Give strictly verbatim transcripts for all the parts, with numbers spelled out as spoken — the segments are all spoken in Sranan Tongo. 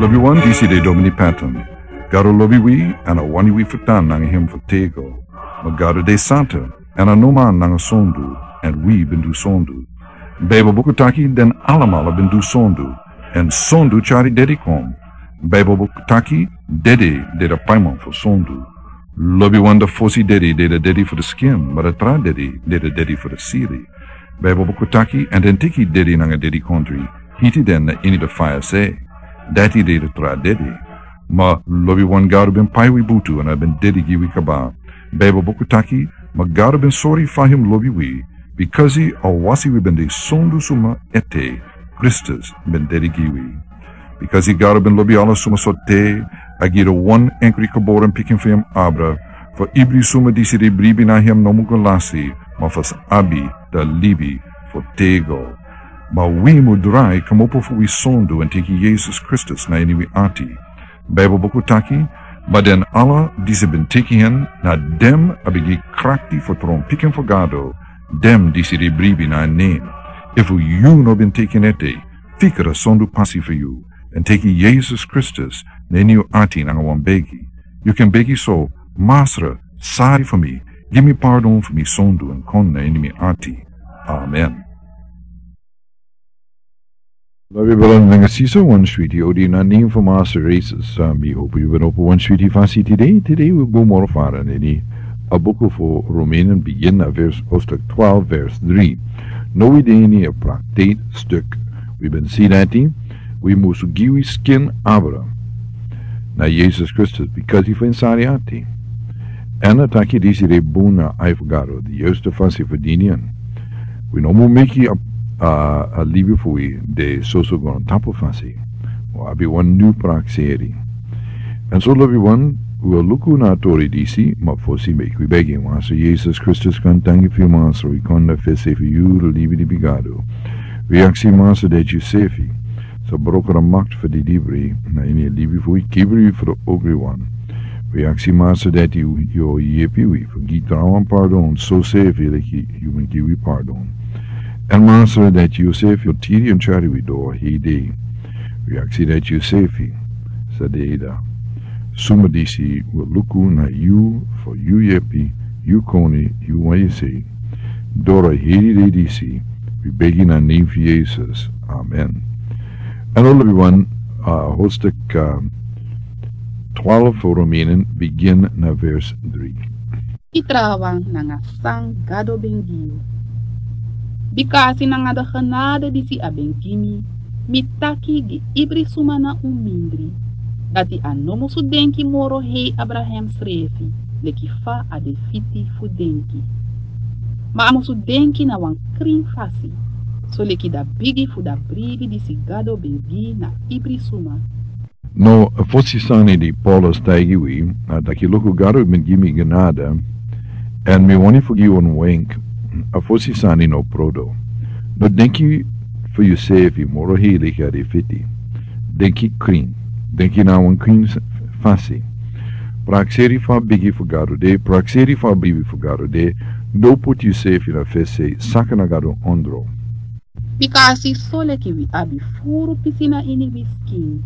Lobiwan, disi de Domini Patton. Gado lobi wi, èn a wani wi fu tan nanga hem fu tego. Ma Gado de santa, èn a no man nanga sondu, èn wi ben du sondu. Baibel buku taki den alamala ben du sondu, èn sondu tyari dedi kon. Baibel buku taki dede de da paiman fu sondu. Lobiwan, da fosi dedi de da dedi fu da skin, ma da tra dedi de da dedi fu da siri. Baibel buku taki, èn den teki dedi nanga dedikontri, hiti den na ini da faya se. Dati de da tra dedi. Ma lobiwan, Gado ben pai wi butu èn a ben dedi gi wi kaba. Baibel buku taki, ma Gado ben sori fa hem lobi wi, bikasi a wasi wi ben de sondu suma ete, Kristus ben dedi gi wi. Bikasi Gado ben lobi ala suma sortu, a gi da wan enkri geboren pikin fu hem abra, fu ibri suma disi de bribi na hem no mu go lasi, ma fu sa abi da libi fu tego. Ma wi mu drai kmopo fu wi sondu èn teki Yesus Kristus na ini wi ati. Baibel buku taki, ma den ala disi ben teki hen, na den a ben gi krakti fu tron pikin fu Gado, den disi de bribi na en nen. Efu yu no ben teki en ete, fikra sondu pasi fu yu, èn teki Yesus Kristus na ini yu ati nanga wan begi. Yu kan begi so, Masra, sari fu mi, gi mi pardon fu mi sondu èn kon na ini mi ati. Amen. Lobi brada nanga sisa, wan switi odi na nen fu Masra Yesus. Mi hopu yu ben opo wan switi fasi tide. Tide wi go moro fara na ini a buku fu Romeinen, bigin na vers, hoofdstuk twaalf, vers drie. No, wi de ini a prakseri stuk. Wi ben si dati wi musu gi wi skin abra na Yesus Kristus, bikasi fu en sani ati. Èn a taki disi de bun na ai fu Gado, di yustu fasi fu dini en. Wi no mu meki a, a, a libi fu wi de soso go na tapu fasi. Wi abi wan nyun prakseri. Èn so lobiwan, wi o luku na a tori disi, ma fosi meki wi begi. Masra Yesus Kristus, kon danki fu yu, Masra, wi kon na fesi fu yu, libi di bigado. Wi aksi, Masra, dati yusefi sa broko a makti fu di didibri na ini a libi fu wi, kibri fu di ogriwan. Wi aksi, Masra, dati yu o yepi wi fu gi trawan pardon, sosefi leki yu ben gi wi pardon. Èn Masra, dati yusefi o tiri èn tyari wi doro heri dei. Wi aksi dati yusefi sa de dya. Suma disi wi o luku na yu fu yu yepi, yu koni, yu wan yesi. Doro heri dei disi wi begi na nen fu Yesus. Amen. Èn lobiwan, a, hoofdstuk, a, twaalf fu Romeinen, bigin na vers drie. Yu trawan nanga san Gado ben gi yu. Bikasi nanga a genade disi a ben gi mi, mi taki gi ibri suma na un mindri, dati a no musu denki moro hei Abraham srefi, leki fa a de fiti fu denki. Ma a musu denki na wan krin fasi, soleki a bigi fu a bribi disi Gado ben gi na ibri suma. No, a fosi sani di Paulus taigi wi, a taki luku, Gado ben gi mi genade, èn mi wani fu gi wan wenk, a fosi sani no prodo. No denki fu yusefi moro hei leki a de fiti. Denki krin, denki na wan krin s-, fasi. Prakseri fa bigi fu Gado de, prakseri fa bribi fu Gado de, no poti yusefi na fesi, saka na Gado ondro. Bikasi soleki wi abi furu pisi na ini wi skin,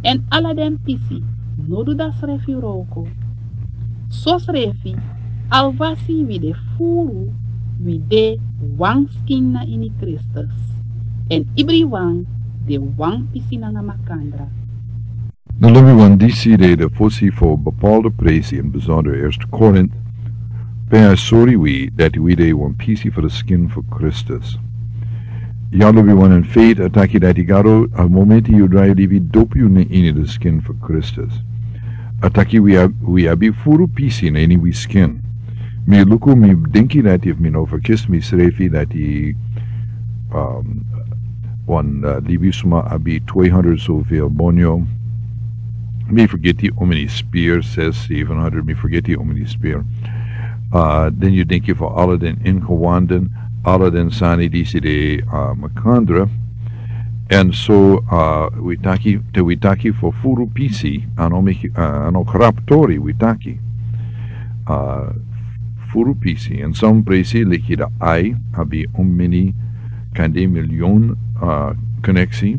èn ala den pisi no du a srefi wroko. Sosrefi, alwasi wi de furu, wi de wan skin na ini Kristus, èn ibriwan de wan pisi nanga makandra. Na lobiwan, disi de a fosi fu bepaalde presi, in bijzonder Eerste Korint, pe a sori wi dati wi de wan pisi fu a skin fu Kristus. Ya lobiwan, in feite a taki dati Gado, a momenti yu drai libi, dopu yu na ini a skin fu Kristus. A taki wi ab-, wi abi furu pisi na ini wi skin. Mi luku, mi denki dati efu mi no ferkisi misrefi dati, um, wan, uh, libisma abi tweehonderd zoveel bonyo. Mi fergiti how many spear, zes, zevenhonderd, mi fergiti how many spear. Uh, dan yu denki fu ala den ingewanden, ala den sani disi de, uh, makandra. Èn so, uh, wi taki, te wi taki fu furu pisi, a no meki, uh, a no grap tori wi taki. Uh, furu pisi. Èn son presi leki a ai, abi omeni kande milyon, uh, koneksi.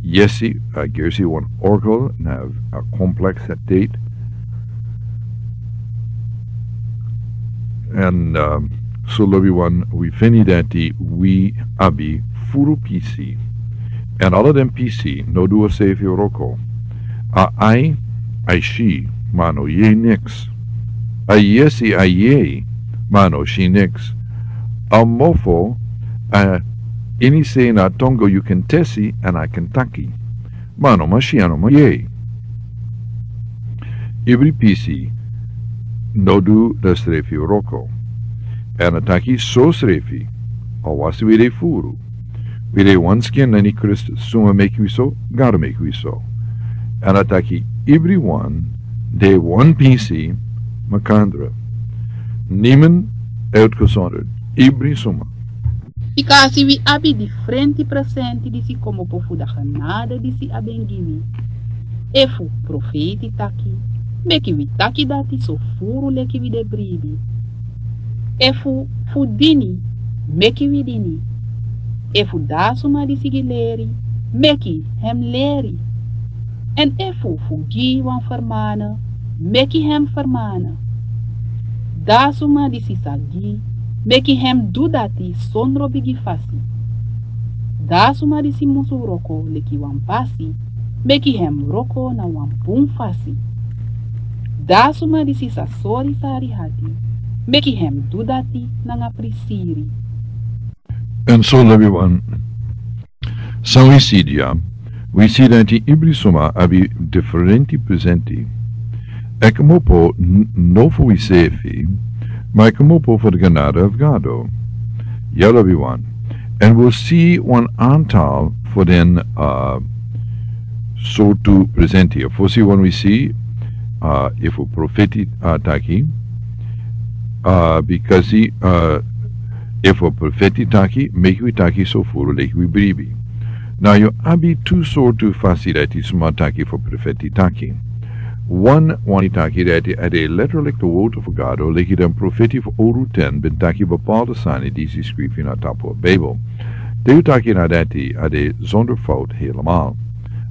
Yesi, a gersi wan oracle na a complex a date. Èn, um, so lobi wan wi feni dati wi abi furu pisi. Èn ala den pisi no du a srefi wroko. A ai, ai si, ma no yei niks. A yesi, ai yei, ma no si niks. A mofo, a ini sei na tongo yu kan tesi èn a kan taki. Ma no man si, a no man yei. Ibri pisi no du da srefi wroko. Èn a taki so srefi, a wasi wi de furu. Wi de wan skin na ini Kristus, suma meki wi so, Gado meki wi so. Èn a taki ibri wan de wan pisi makandra. Niman uitgesonderd, ibri suma. Bikasi wi abi difrenti presenti disi kmopo fu da genade disi a ben gi wi. Efu profeiti taki, meki wi taki dati so furu leki wi de bribi. Efu fu dini, meki wi dini. Efu da suma disi gi leri, meki hem leri. Èn efu fu gi wan fermane, meki hem fermane. Da suma disi sa gi, meki hem du dati sondro bigi fasi. Da suma disi musu wroko leki wan basi, meki hem wroko na wan bun fasi. Da suma disi sa sori sari hati, meki hem du dati nanga prisiri. Èn so lobi wan, san wi si dya, wi si dati ibri suma abi difrenti presenti. A kmopo n-, no fu wi srefi, ma a kmopo fu da genade fu Gado. Ya lobi wan. Èn wi si wan antal fu den, uh, sortu presenti. Fosi wan wi si, uh, efu profeti, uh, taki, uh, bikasi, uh, efu profeti taki, meki wi taki so furu leki wi bribi. Now yu abi tu sortu fasi dati suma taki fu profeti taki. Wan wani taki dati a de letterlijk de word fu Gado, leki den profeti fu owru ten ben taki bepaalde sani disi skrifi na tapu Bijbel. Te yu taki na dati a de zonder fout helemaal.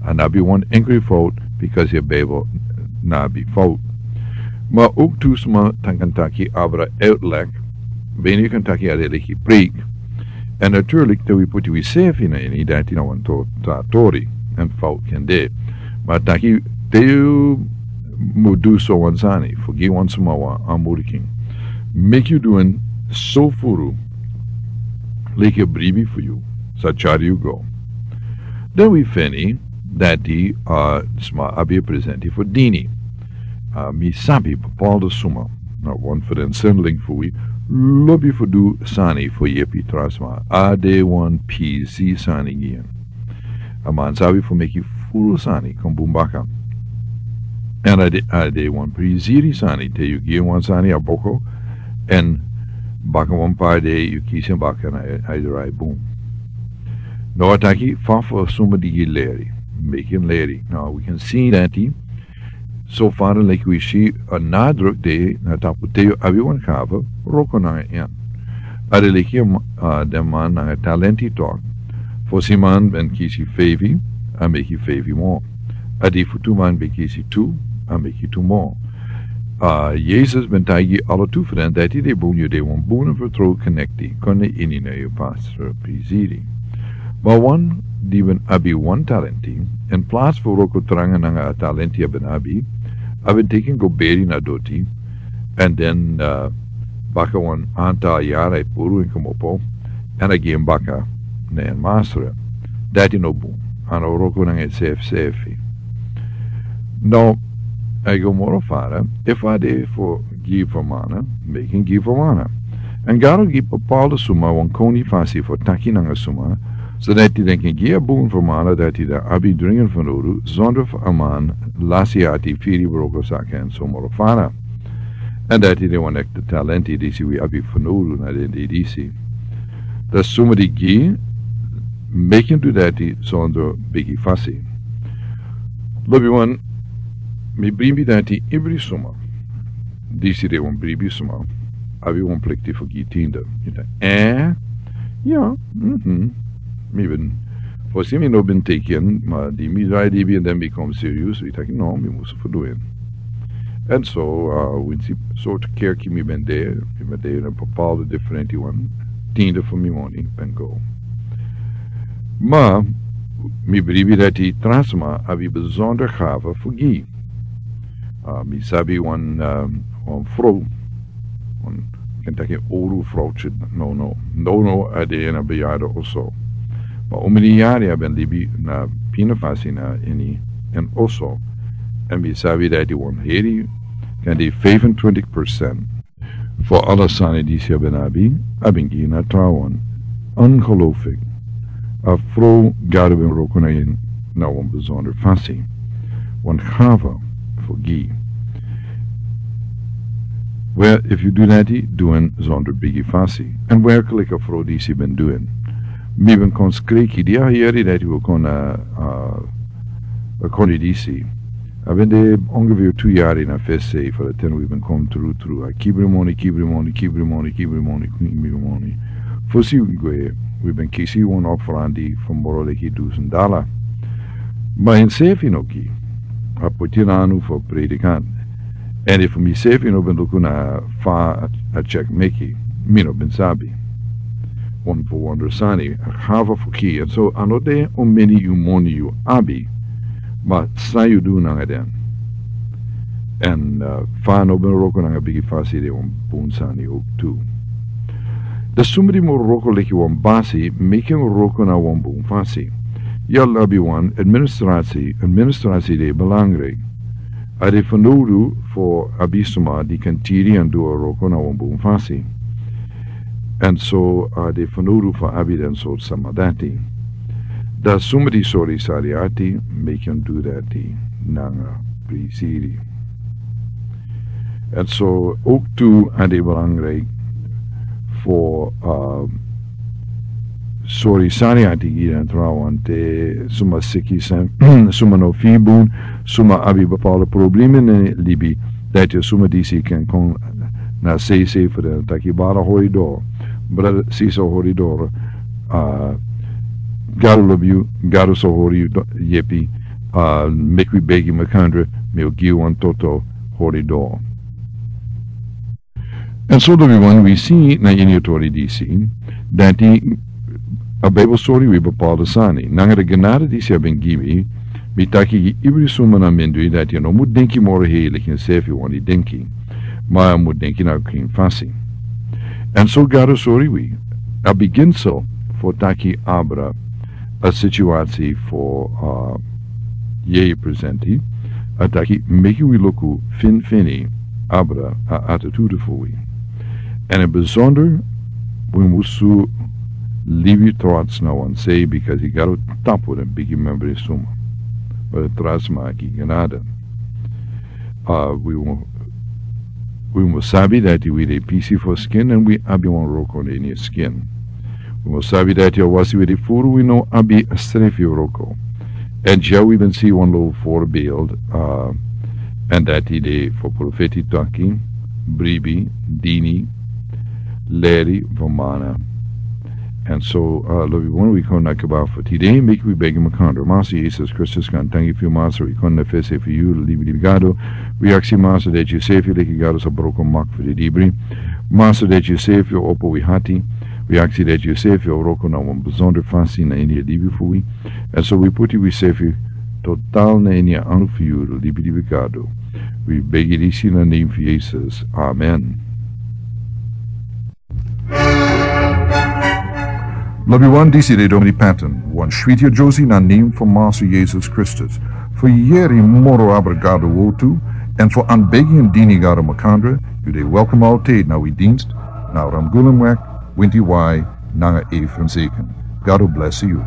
A no abi wan enkri fout, because a Bijbel no abi fout. Ma ook tu suma kan taki abra uitleg, ben yu kan taki a de leki preek. Èn natuurlijk te wi puti wi srefi na ini dati na wan to-, tra tori. Èn fout kan de. Ma taki te yu mu du so wan sani, fu gi wan suma wan aanmoediging. Meki yu du en so furu, leki a bribi fu yu sa tyari yu go. Dan wi feni dati, uh, suma abi a presenti fu dini. Uh, mi sabi bepaalde suma, na wan fu den sendeling fu wi, lobi fu du sani fu yepi tra sma. A de wan pisi sani gi en. A man sabi fu meki furu sani kon bun baka. Èn a de, a de wan prisiri sani, te yu gi en wan sani a boko, èn baka wan par dei yu kisi en baka na a, a drai bun. Now a taki fa fu suma di gi leri, meki en leri. Now we can see dati, so far leki wi si a nadruk de na tapu te yu abi wan gave, wroko nanga en. A de leki, uh, den man nanga talenti tok. Fosi man ben kisi feifi, a meki feifi mo. A di fu tu man ben kisi tu, a meki tu mo. Uh, Yesus ben taigi ala tu fu den dati de bun yu de wan bun fu tru konekti, kon ini na yu pastor prisiri. Ma wan di ben abi wan talenti, in plaats fu wroko tranga nanga a talenti a ben abi, a ben teki en go beri na doti, èn den, uh, baka wan antal yari a puru en kmopo, èn a gi en baka na en masra. Dati no bun, a no wroko nanga en srefi srefi. Now, a go moro fara, efu a de fu gi fermana, meki en gi fermana. Èn Gado gi bepaalde suma wan koni fasi fu taki nanga suma, so dati den kan gi a bun fermana dati den abi dringi fanowdu, zonder fu a man lasi ati, firi, wroko saka èn so moro fara. Èn dati de wan ekte talenti disi wi abi fanowdu na den dei disi. Dan suma di gi, meki en du dati zonder bigi fasi. Lobi wan, mi bribi dati ibri suma. Disi de wan bribi suma. Abi wan plikti fu gi tiende. Yu taki, eh? Ya, mhm. Mi ben Fosi mi no ben teki en, ma di mi drai libi èn den mi kon serius, mi taki no, mi musu fu du en. Èn so, uh, winsi sortu kerki mi ben de, mi ben de ini bepaalde diferente wan, tiende fu mi moni ben go. Ma mi bribi dati tra sma abi besonder gave fu gi. Uh, mi sabi wan, uh, wan vrouw, wan, ken taki owru vrouwtje, no, no, no, no, a de ini a bejaarde oso. Ma omeni yari a ben libi na pina fasi na ini en oso. Èn mi sabi dati wan heri kan de vijfentwintig procent fu ala sani disi a ben abi, a ben gi na trawan. Ongelooflijk. A vrouw Gado ben wroko na en na wan besonder fasi. Wan gave fu gi. Well, if you do that, do en zonder bigi fasi. Èn werkelijk a vrouw disi ben du en. Mi ben kon skriki, di a heri dati wi kon na, uh, a kon disi. A ben de ongeveer tu yari na fesi fu di ten wi ben kon tru tru. A kibri moni, kibri moni, kibri moni, kibri moni, kibri moni. Fosi wi gwe, wi ben kisi wan offerandi fu moro leki dusen dala. Ma ensefi no gi. A poti en anu fu predikant. Èn efu misefi no ben luku na fa a, a check meki, mi no ben sabi. Wan fu wonder sani, a gave fu gi. Èn so a no de omeni yu moni yu abi, ma san yu du nanga den. Èn, uh, fa a no ben wroko nanga bigi fasi de wan bun sani ook tu. Dan somebody mu wroko leki wan basi, meki en wroko na wan bun fasi. Yu abi wan administrasi, administrasi de belangrijk. A de fanowdu fu abi suma di kan tiri èn du a wroko na wan bun fasi. Èn so a de fanowdu fu abi den sortu sma dati. Dan somebody sori sari ati, meki en du dati nanga prisiri. Èn so ook tu a de belangrijk fu, uh, sori sari ati gi den trawan te suma siki san, suma no firi bun, suma abi bepaalde problema ini libi. Dati suma disi kan kon na sei sei fu den taki brada hori doro. Brada, sisa hori doro. Uh, Gado lobi yu, Gado sa hori yu do-, yepi, uh, meki wi begi makandra, mi o gi wan toto hori doro. Èn so lobiwan wi si na ini a tori disi, dati a Bijbel sori wi bepaalde sani. Nanga a genade disi a ben gi mi, mi taki gi ibri suma na mindri dati a no mu denki moro hei leki ensefi wani denki. Ma a mu denki na krin fasi. Èn so Gado sori wi, a beginsel fu taki abra a situasi fu, uh, yeye presenti, a taki meki wi luku finfini abra a attitude fu wi. Èn in bijzonder, wi musu libi trots na wan sei, because yu Gado tapu den bigi membri suma. But trots maki genade. Uh, wi mu, wi mu sabi dati wi de pisi fu skin èn wi abi wan wroko na ini skin. Wi mu sabi dati a wasi wi de furu wi no abi a srefi wroko. Èn dya wi ben si wan lo voorbeeld, uh, èn dati de fu profeti taki, bribi, dini, leri, fu mana. Èn so, uh, lobiwan wi kon na kaba fu tide, meki wi begi makandra. Masa Yesus Kristus, kon tangi fu yu Masa, wi kon na fesi fu yu, libi, libi Gado. Wi aksi Masa dati yusefi leki Gado sa broko mak fu di libri. Masa dati yusefi opo wi hati. Wi aksi dati yusefi wroko na wan bijzonder fasi na ini libi fu wi. Èn so wi puti wisefi total na ini a anu fu yu, libi, libi Gado. Wi begi disi na name fu Yesus. Amen. Lobiwan, disi de Domini Patton, wan switi a Josie na name fu Masa Yesus Kristus. Fu yeri moro abra Gado wortu, èn fu anbegi èn dini Gado makandra, yu de welkom altijd na wi dienst, na Ramgulumweg, winti wai, nanga A Franciscan. Gado bless yu.